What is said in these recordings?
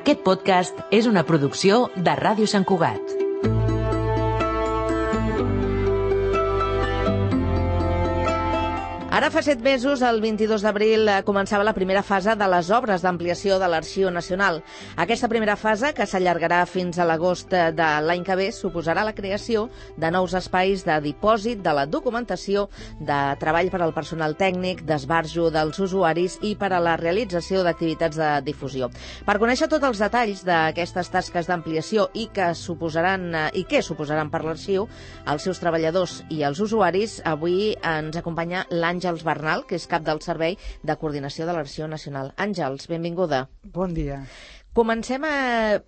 Aquest podcast és una producció de Ràdio Sant Cugat. Ara fa 7 mesos, el 22 d'abril, començava la primera fase de les obres d'ampliació de l'Arxiu Nacional. Aquesta primera fase, que s'allargarà fins a l'agost de l'any que ve, suposarà la creació de nous espais de dipòsit de la documentació, de treball per al personal tècnic, d'esbarjo dels usuaris i per a la realització d'activitats de difusió. Per conèixer tots els detalls d'aquestes tasques d'ampliació i què suposaran per l'arxiu, els seus treballadors i els usuaris, avui ens acompanya l'Àngels Bernal, que és cap del Servei de Coordinació de l'Arxiu Nacional. Àngels, benvinguda. Bon dia. Comencem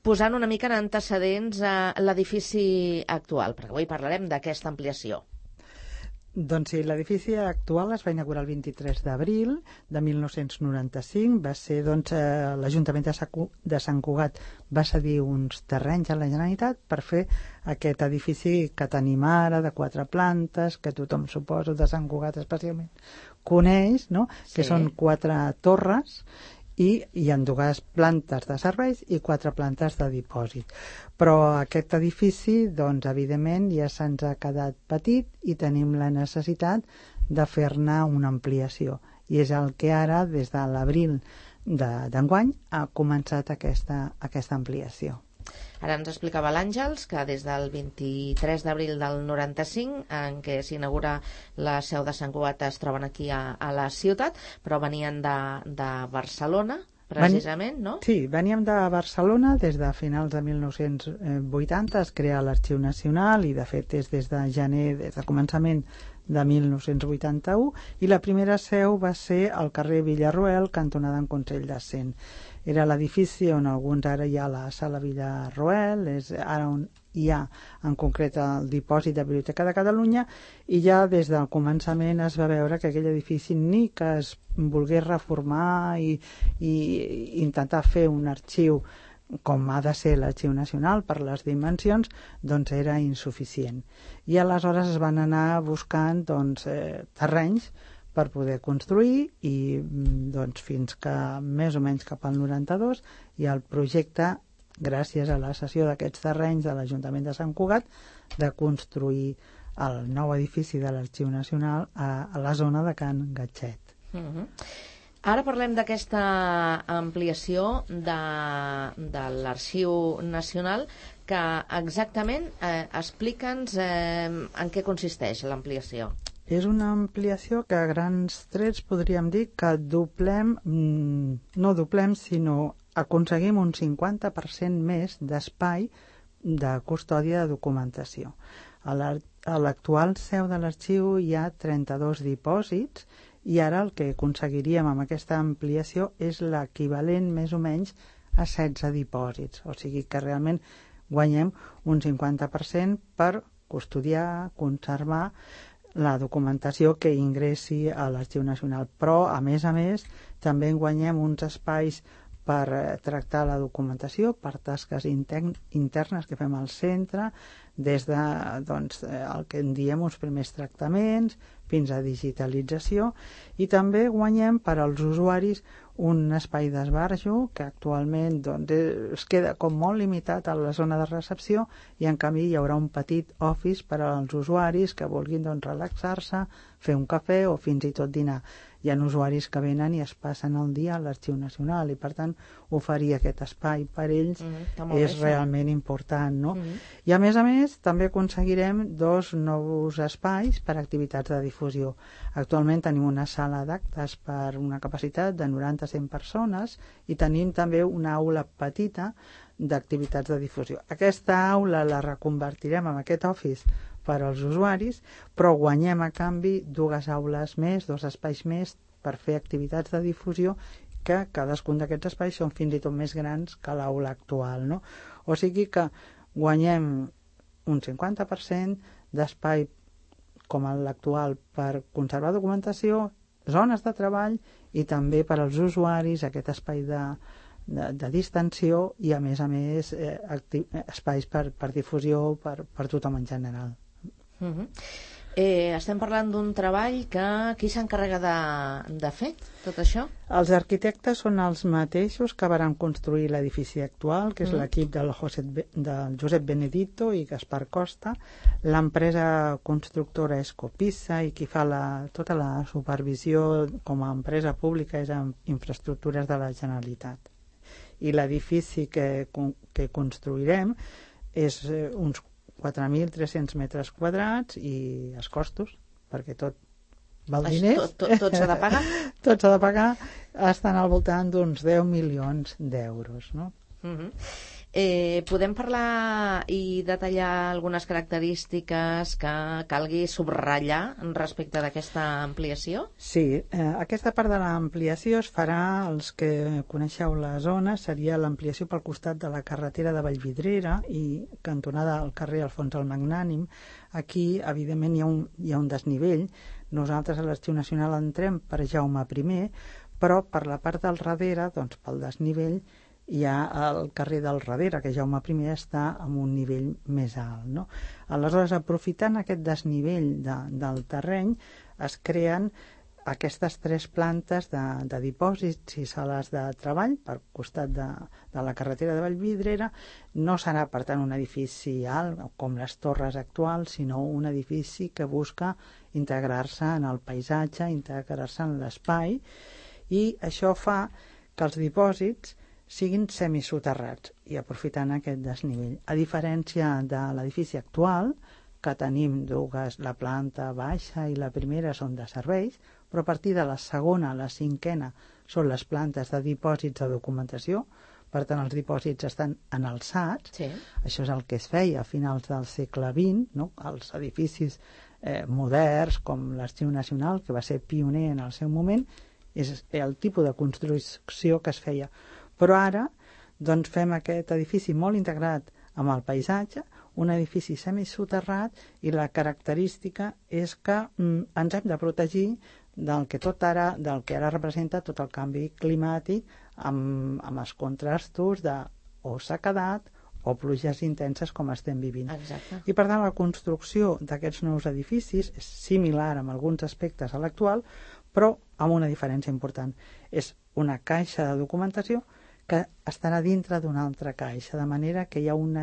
posant una mica en antecedents a l'edifici actual, perquè avui parlarem d'aquesta ampliació. Doncs sí, l'edifici actual es va inaugurar el 23 d'abril de 1995. Va ser, l'Ajuntament de Sant Cugat va cedir uns terrenys a la Generalitat per fer aquest edifici que tenim ara, de 4 plantes, que tothom, suposo, de Sant Cugat especialment coneix, no? Sí. Que són 4 torres i hi ha 2 plantes de serveis i 4 plantes de dipòsit. Però aquest edifici, doncs, evidentment, ja se'ns ha quedat petit i tenim la necessitat de fer-ne una ampliació. I és el que ara, des de l'abril d'enguany, ha començat aquesta ampliació. Ara ens explicava l'Àngels que des del 23 d'abril del 95, en què s'inaugura la seu de Sant Cugat, es troben aquí a la ciutat, però venien de Barcelona, precisament, no? Sí, veníem de Barcelona. Des de finals de 1980 es crea l'Arxiu Nacional i, de fet, és des de gener, des de començament de 1981, i la primera seu va ser al carrer Villarroel, cantonada en Consell de Cent. Era l'edifici on alguns ara hi ha la sala Villarroel, és ara on hi ha en concret el dipòsit de Biblioteca de Catalunya, i ja des del començament es va veure que aquell edifici, ni que es volgués reformar i intentar fer un arxiu com ha de ser l'Arxiu Nacional per les dimensions, doncs era insuficient. I aleshores es van anar buscant terrenys per poder construir i fins que més o menys cap al 92 i el projecte, gràcies a la cessió d'aquests terrenys de l'Ajuntament de Sant Cugat, de construir el nou edifici de l'Arxiu Nacional a la zona de Can Gatxet. Ara parlem d'aquesta ampliació de l'Arxiu Nacional, que exactament explica'ns en què consisteix l'ampliació. És una ampliació que a grans trets podríem dir que no doblem, sinó aconseguim un 50% més d'espai de custòdia de documentació. A l'actual seu de l'arxiu hi ha 32 dipòsits i ara el que aconseguiríem amb aquesta ampliació és l'equivalent més o menys a 16 dipòsits. O sigui que realment guanyem un 50% per custodiar, conservar la documentació que ingressi a l'Arxiu Nacional. Però, a més, també guanyem uns espais per tractar la documentació, per tasques internes que fem al centre, des de el que en diem uns primers tractaments fins a digitalització, i també guanyem per als usuaris un espai d'esbarjo que actualment es queda com molt limitat a la zona de recepció, i en canvi hi haurà un petit office per als usuaris que vulguin relaxar-se, fer un cafè o fins i tot dinar. Hi ha usuaris que venen i es passen el dia a l'Arxiu Nacional i, per tant, oferir aquest espai per ells és realment important, no? I, a més, també aconseguirem 2 nous espais per a activitats de difusió. Actualment tenim una sala d'actes per una capacitat de 90-100 persones i tenim també una aula petita d'activitats de difusió. Aquesta aula la reconvertirem en aquest office per als usuaris, però guanyem a canvi 2 aules més, 2 espais més per fer activitats de difusió, que cadascun d'aquests espais són fins i tot més grans que l'aula actual, no? O sigui que guanyem un 50% d'espai com l'actual per conservar documentació, zones de treball i també per als usuaris aquest espai de distensió i, a més, espais per difusió per tothom en general. Estem parlant d'un treball que qui s'encarrega de fer tot això? Els arquitectes són els mateixos que varen construir l'edifici actual, que és l'equip del Josep Benedito i Gaspar Costa. L'empresa constructora és Copissa i qui fa tota la supervisió com a empresa pública és Infraestructures de la Generalitat. I l'edifici que construirem és uns 4.300 metres quadrats i els costos, perquè tot val diners. Tot s'ha de pagar? Tot s'ha de pagar, estan al voltant d'uns 10 milions d'euros, no? Podem parlar i detallar algunes característiques que calgui subratllar respecte d'aquesta ampliació? Sí, aquesta part de l'ampliació es farà, els que coneixeu la zona, seria l'ampliació pel costat de la carretera de Vallvidrera i cantonada al carrer Alfons el Magnànim. Aquí, evidentment, hi ha un desnivell. Nosaltres a l'Arxiu Nacional entrem per Jaume I, però per la part del darrere, doncs pel desnivell, hi ha el carrer del darrere, que Jaume I està en un nivell més alt, no? Aleshores, aprofitant aquest desnivell del terreny, es creen aquestes 3 plantes de dipòsits i sales de treball per costat de la carretera de Vallvidrera. No serà, per tant, un edifici alt com les torres actuals, sinó un edifici que busca integrar-se en el paisatge, integrar-se en l'espai, i això fa que els dipòsits siguin semisoterrats i aprofitant aquest desnivell. A diferència de l'edifici actual, que tenim la planta baixa i la primera són de serveis, però a partir de la segona a la 5a són les plantes de dipòsits de documentació, per tant els dipòsits estan en alçats. Sí. Això és el que es feia a finals del segle XX, no? Els edificis moderns, com l'Arxiu Nacional, que va ser pioner en el seu moment, és el tipus de construcció que es feia. Però ara doncs, fem aquest edifici molt integrat amb el paisatge, un edifici semisoterrat, i la característica és que ens hem de protegir del que ara representa tot el canvi climàtic amb els contrastos de o sequedat o pluges intenses com estem vivint. Exacte. I per tant la construcció d'aquests nous edificis és similar en alguns aspectes a l'actual, però amb una diferència important. És una caixa de documentació que estarà dintre d'una altra caixa, de manera que hi ha un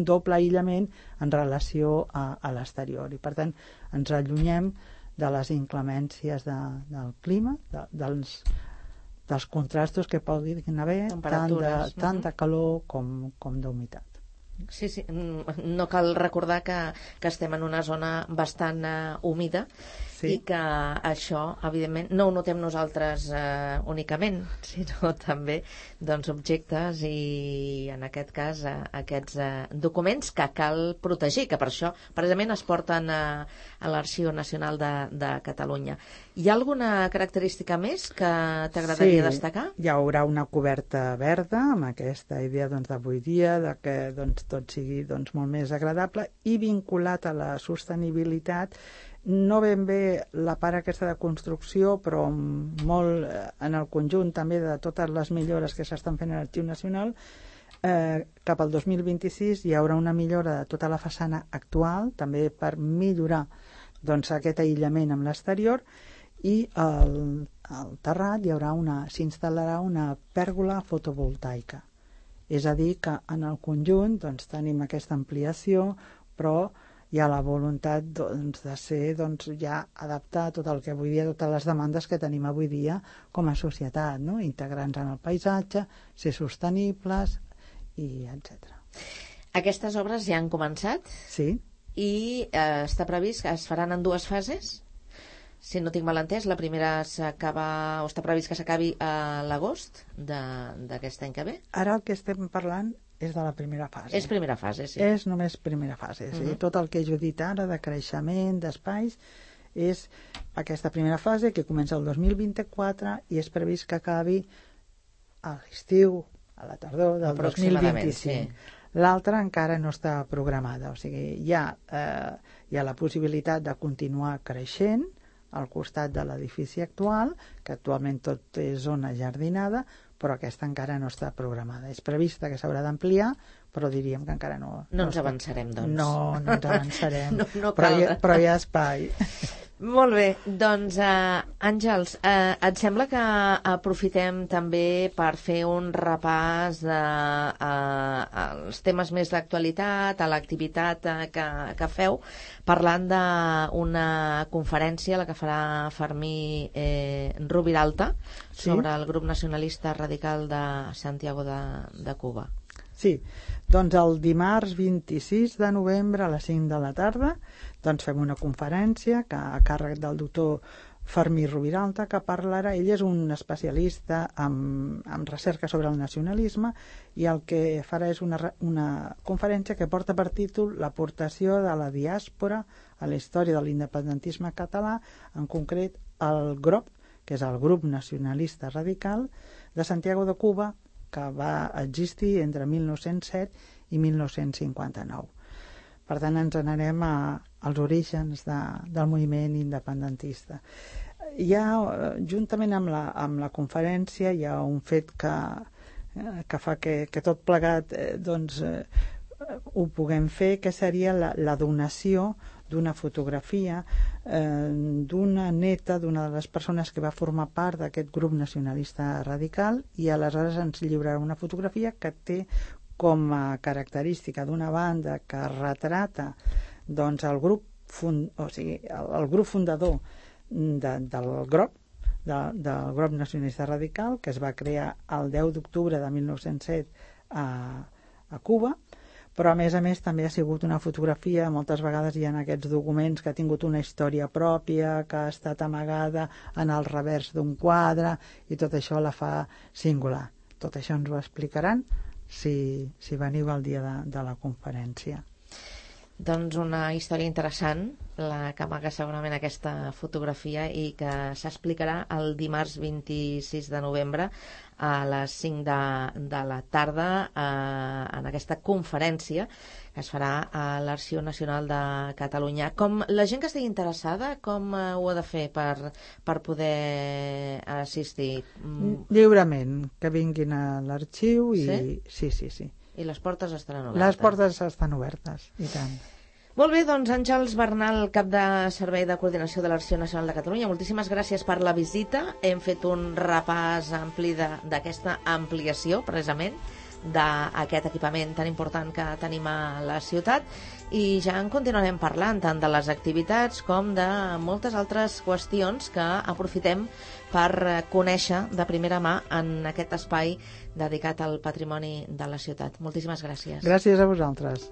doble aïllament en relació a l'exterior. I per tant ens allunyem de les inclemències del clima, dels contrastos que poden haver, tant de calor com d'humitat. Sí, no cal recordar que estem en una zona bastant humida, sí. I que això, evidentment, no ho notem nosaltres únicament, sinó també objectes i, en aquest cas, aquests documents que cal protegir, que per això, precisament, es porten a l'Arxiu Nacional de Catalunya. Hi ha alguna característica més que t'agradaria destacar? Hi haurà una coberta verda, amb aquesta idea d'avui dia, de que tot sigui molt més agradable, i vinculat a la sostenibilitat, no ben bé la part aquesta de construcció, però molt en el conjunt també de totes les millores que s'estan fent a l'Arxiu Nacional. Cap al 2026 hi haurà una millora de tota la façana actual, també per millorar aquest aïllament amb l'exterior, i al terrat s'instal·larà una pèrgola fotovoltaica. És a dir, que en el conjunt tenim aquesta ampliació, però hi ha la voluntat de ser ja adaptar tot el que avui dia, totes les demandes que tenim avui dia com a societat, no? Integrar-nos en el paisatge, ser sostenibles, i etc. Aquestes obres ja han començat? Sí. I està previst que es faran en 2 fases? Si no tinc mal entès, la primera s'acaba, o està previst que s'acabi a l'agost d'aquest any que ve? Ara el que estem parlant és de la primera fase. És primera fase, sí. És només primera fase. Sí? Tot el que jo he dit ara de creixement, d'espais, és aquesta primera fase que comença el 2024 i és previst que acabi a l'estiu, a la tardor del 2025. Sí. L'altra encara no està programada, o sigui, hi ha la possibilitat de continuar creixent al costat de l'edifici actual, que actualment tot és zona jardinada, però aquesta encara no està programada. És prevista que s'haurà d'ampliar, però diríem que encara no... No ens avançarem, doncs. No ens avançarem, no cal. però hi ha espai. Molt bé, doncs Àngels, et sembla que aprofitem també per fer un repàs als temes més d'actualitat, a l'activitat que feu, parlant d'una conferència, la que farà Fermí Rubiralta, sobre el grup nacionalista radical de Santiago de Cuba. Sí, doncs el dimarts 26 de novembre a les 5 de la tarda doncs fem una conferència a càrrec del doctor Fermí Rubiralta, que parlarà. Ell és un especialista en recerca sobre el nacionalisme i el que farà és una conferència que porta per títol l'aportació de la diàspora a la història de l'independentisme català, en concret el GROP, que és el Grup Nacionalista Radical de Santiago de Cuba, que va existir entre 1907 i 1959. Per tant, ens n'anem als orígens del moviment independentista. Juntament amb la conferència, hi ha un fet que fa que tot plegat ho puguem fer, que seria la donació d'una fotografia d'una neta d'una de les persones que va formar part d'aquest grup nacionalista radical, i aleshores ens lliurarà una fotografia que té com a característica d'una banda que retrata doncs, el grup fundador del GROP, del grup nacionalista radical, que es va crear el 10 d'octubre de 1907 a Cuba. Però, a més també ha sigut una fotografia, moltes vegades hi ha aquests documents que ha tingut una història pròpia, que ha estat amagada en el revers d'un quadre, i tot això la fa singular. Tot això ens ho explicaran si veniu el dia de la conferència. Doncs una història interessant, la que amaga segurament aquesta fotografia, i que s'explicarà el dimarts 26 de novembre a les 5 de la tarda en aquesta conferència que es farà a l'Arxiu Nacional de Catalunya. Com la gent que estigui interessada, com ho ha de fer per poder assistir? Lliurement, que vinguin a l'arxiu i... Sí. I les portes estaran obertes? Les portes estan obertes, i tant. Molt bé, doncs Àngels Bernal, cap de Servei de Coordinació de l'Arxiu Nacional de Catalunya, moltíssimes gràcies per la visita. Hem fet un repàs ampli d'aquesta ampliació, precisament, d'aquest equipament tan important que tenim a la ciutat, i ja en continuarem parlant tant de les activitats com de moltes altres qüestions que aprofitem per conèixer de primera mà en aquest espai dedicat al patrimoni de la ciutat. Moltíssimes gràcies. Gràcies a vosaltres.